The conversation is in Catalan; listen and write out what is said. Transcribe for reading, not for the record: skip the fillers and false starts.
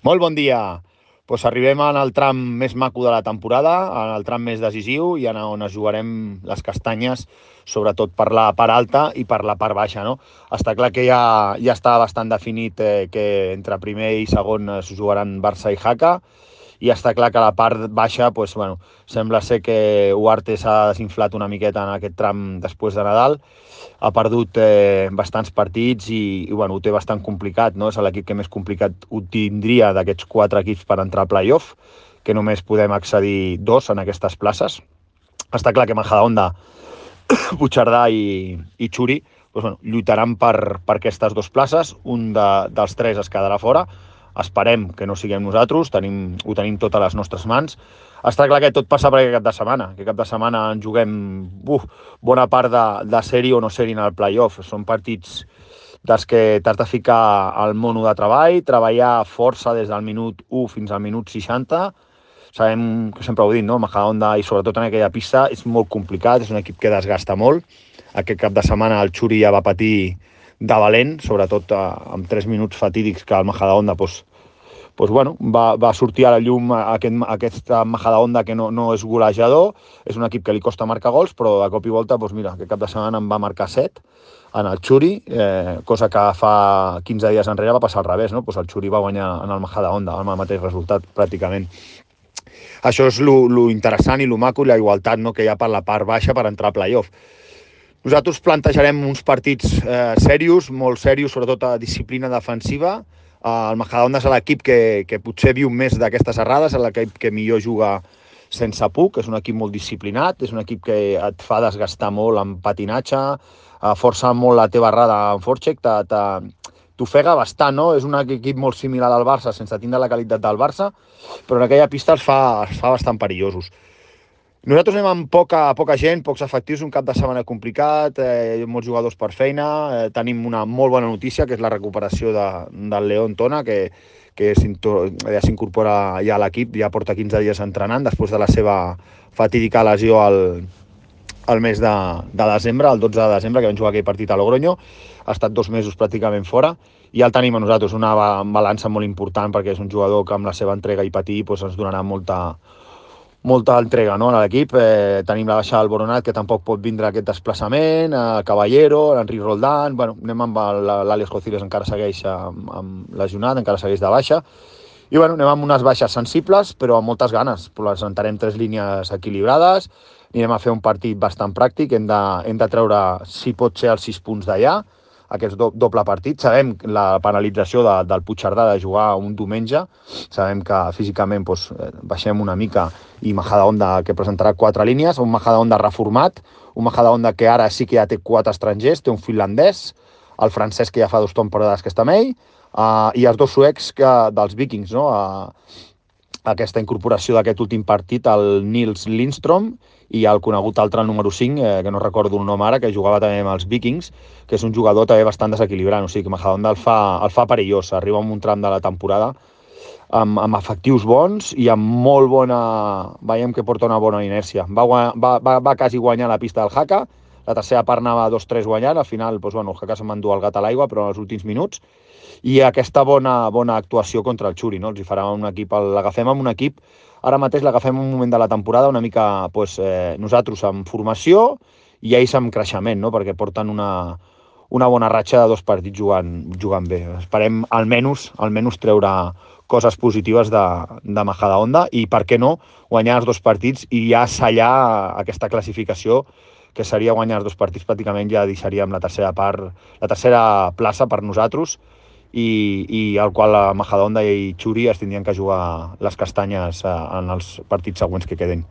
Molt bon dia. Arribem en el tram més maco de la temporada, en el tram més decisiu i on es jugarem les castanyes, sobretot per la part alta i per la part baixa. No? Està clar que ja està bastant definit que entre primer i segon es jugaran Barça i Jaca, i està clar que a la part baixa sembla ser que Huarte s'ha desinflat una miqueta en aquest tram després de Nadal, ha perdut bastants partits i ho té bastant complicat, no? És l'equip que més complicat ho tindria d'aquests 4 equips per entrar a playoff, que només podem accedir 2 en aquestes places. Està clar que Majadahonda, Puigcerdà i Xuri lluitaran per aquestes 2 places. Un dels 3 es quedarà fora. Esperem que no siguem nosaltres, ho tenim tot a les nostres mans. Està clar que tot passa per aquest cap de setmana. Aquest cap de setmana en juguem bona part de sèrie o no sèrie en el playoff. Són partits dels que t'has de ficar al mono de treball, treballar força des del minut 1 fins al minut 60. Sabem que sempre ho he dit, no? Majadahonda, i sobretot en aquella pista, és molt complicat, és un equip que desgasta molt. Aquest cap de setmana el Xuri ja va patir de valent, sobretot amb 3 minuts fatídics que el Majadahonda va sortir a la llum aquesta Majadahonda que no és golejador, és un equip que li costa marcar gols, però de cop i volta, aquest cap de setmana en va marcar 7 en el Xuri, cosa que fa 15 dies enrere va passar al revés, no? El Xuri va guanyar en el Majadahonda, amb el mateix resultat pràcticament. Això és lo interessant i lo maco i la igualtat, no?, que hi ha per la part baixa per entrar a playoff. Nosaltres plantejarem uns partits serios, molt serios, sobretot a disciplina defensiva. El Majadahonda és l'equip que potser viu més d'aquestes errades, és l'equip que millor juga sense puc, és un equip molt disciplinat, és un equip que et fa desgastar molt en patinatge, força molt la teva errada en forecheck, t'ofega bastant, no? És un equip molt similar al Barça, sense tindre la qualitat del Barça, però en aquella pista els fa bastant perillosos. Nosaltres anem amb poca gent, pocs efectius, un cap de setmana complicat, molts jugadors per feina, tenim una molt bona notícia, que és la recuperació del León Tona, que ja s'incorpora ja a l'equip, ja porta 15 dies entrenant, després de la seva fatídica lesió al mes de desembre, el 12 de desembre, que vam jugar aquell partit a Logroño. Ha estat 2 mesos pràcticament fora, i ja el tenim a nosaltres, una balança molt important, perquè és un jugador que amb la seva entrega i patir ens donarà molta entrega, no, a l'equip. Tenim la baixa del Boronat, que tampoc pot vindre aquest desplaçament, Caballero, l'Enric Roldán, anem amb l'Àlex Cociles, encara segueix amb lesionat, encara segueix de baixa, i anem amb unes baixes sensibles, però amb moltes ganes. Presentarem 3 línies equilibrades, anirem a fer un partit bastant pràctic, hem de treure, si pot ser, els 6 punts d'allà, aquest doble partit. Sabem la penalització del Puigcerdà de jugar un diumenge, sabem que físicament baixem una mica, i Majadahonda, que presentarà 4 línies, un Majadahonda reformat, un Majadahonda que ara sí que ja té 4 estrangers, té un finlandès, el francès, que ja fa 2 temporades que està amb ell, i els 2 suecs dels Vikings, no? Aquesta incorporació d'aquest últim partit, el Nils Lindström, i el conegut altre, el número 5, que no recordo el nom ara, que jugava també amb els Vikings, que és un jugador també bastant desequilibrant. O sigui que Majadahonda el fa perillós, arriba en un tram de la temporada amb efectius bons i amb molt bona... Veiem que porta una bona inèrcia. Va quasi guanyar la pista del Jaca, la tercera part anava 2-3 guanyant, al final el Jaca se'n va endur el gat a l'aigua, però en els últims minuts, i aquesta bona actuació contra el Xuri, no? Els hi farà un equip, l'agafem amb un equip, ara mateix l'agafem un moment de la temporada una mica nosaltres amb formació i ells amb creixement, no? Perquè porten una bona ratxa de 2 partits jugant bé. Esperem almenys treure coses positives de Majadahonda i, per què no, guanyar els 2 partits i ja sellar aquesta classificació, que seria guanyar els 2 partits, pràcticament ja deixaríem la tercera plaça per nosaltres, i al qual la Majadahonda i Xuri es tindrien que jugar les castanyes en els partits següents que queden.